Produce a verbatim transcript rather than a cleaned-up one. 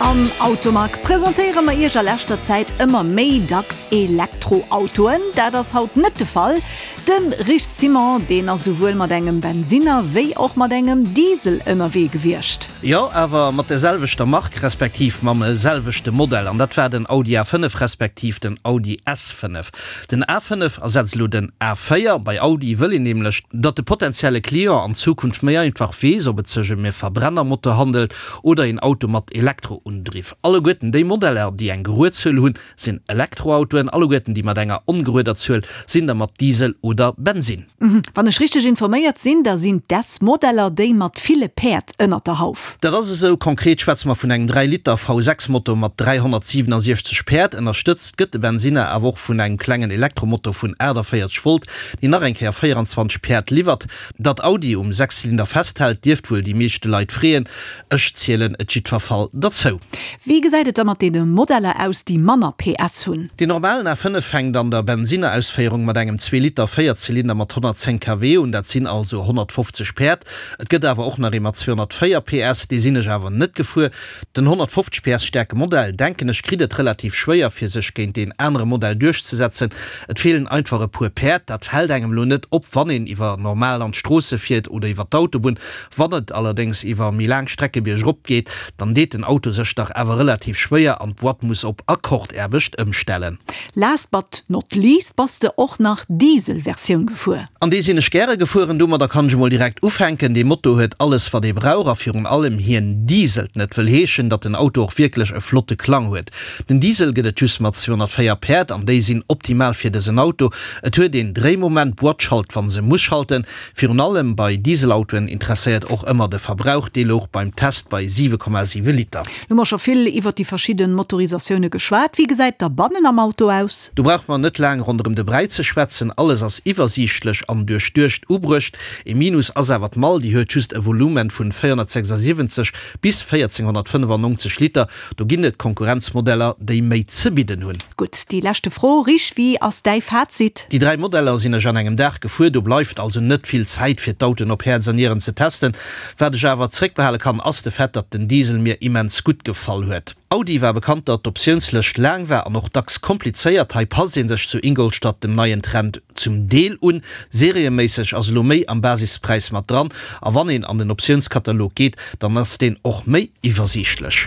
Am Automag presentéiere mer Iech a leschter Zäit ëmmer méi dacks Elektroautoen. Dat ass haut net de Fall. De Rich Simon, deen ass souwuel mat engem Bensinner wéi och mat engem Diesel ënnerwee gewiescht. Jo, awer mat der selwechter Mark, respektiv mam selwechte Modell. An dat war den Audi A fënnef respektiv den Audi S fënnef. Den A fënnef ersetzt elo den A véier. Bei Audi wëll een nämlech, datt de potenzielle Client an Zukunft méi einfach weess, ob et sech ëm e Verbrennermotor handelt oder een Auto mat Elektroundriff. Alleguerten déi Modeller, déi eng gerued Zuel hunn, sinn Elektroautoen. Alleguerten déi mat enger ongerueder Zuel sinn der mat Diesel oder Bensinn. Wann ech richteg informéiert sinn, da sinn d'S-Modeller déi mat ville Päerd ënnert der Hauf. Dat ass esou. Konkret schwätze mer vun engem dräi Liter V sechs Motor mat dräihonnertsiwwenundsechzeg Päerd. Ënnerstëtzt gëtt de Bensinner awer och vun engem klengen Elektromotor vun aachtavéierzeg Volt, deen nach eng Kéier véieranzwanzeg Päerd liwwert. Datt Audi um Sechszylinder festhält, dierft wuel déi meeschte Leit freeën. Ech zielen et jiddwer Fall derzou. Wéi gesäit et da mat deene Modeller aus, déi manner P S hunn? Deen normalen A fënnef fänkt an der Bensinnerausféierung mat engem zwee Liter Véierzylinder mat honnertzéng K W un, dat sinn also honnertfofzeg Päerd. Et gëtt awer och nach ee mat zweehonnertvéier P S, dee sinn ech awer net gefuer. Den honnertfofzeg P S staarke Modell, denken ech, kritt et relativ schwéier fir sech géint deen anere Modell duerchzesetzen. Et feelen einfach e puer Päerd. Dat fält engem elo net op, wann een iwwer normal an d'Stroosse fiert oder iwwer d'Autobunn. Wann et allerdéngs iwwer méi laang Strecke biergrop geet, dann deet den Auto sech dach awer relativ schwéier an d'Boîte muss op Akkordaarbecht ëmstellen. Last but not least bass de och nach Diesel-Versioun gefuer. An déi sinn ech gäre gefueren. Domadder kann ech emol direkt ufänken. Dee Motor huet alles wat ee brauch a virun allem hien dieselt net, wëll heeschen, datt den Auto och wierklech e flotte Klang huet. Den Diesel gëtt et just mat zweehonnertvéier Päerd an déi sinn optimal fir dësen Auto. Et huet een Dréimoment, d'Boîte schalt wann se muss schalten. Virun allem bei Dieselautoen interesséiert och ëmmer de Verbrauch, dee louch beim Test bei siwe Komma siwe Liter. Lo hu mer scho vill iwwert déi verschidden Motorisatioune geschwat. Wéi gesäit da bannen am Auto aus? Do brauch mer net laang ronderëm de Bräi ze schwätzen, alles ass iwwersiichtlech an duerchduecht ubruecht. Ee Minus ass awer d'Mall, déi huet just e Volumen vun véierhonnertsechsundsiwwenzeg bis véierzénghonnertfënnefannonzeg Liter. Do ginn et Konkurrenzmodeller, déi méi ze bidden hunn. Gutt, déi leschte Fro, Rich, wéi ass däi Fazit? Déi dräi Modeller sinn ech an engem Dag gefuer, do bleift also net vill Zäit fir d'Autoen op Häerz an Nieren ze testen. Wat ech awer zréckbehale kann, ass de Fait, datt den Diesel mir immens gutt gefall huet. Audi war bekannt, datt d'Optiounslëscht laang war an och dacks komplizéiert. Hei passt ee sech zu Ingolstadt dem neien Trend zum Deel un. Serieméisseg ass elo méi am Basispräis mat dran a wann een an den Optiounskatalog geet, dann ass deen och méi iwwersiichtlech.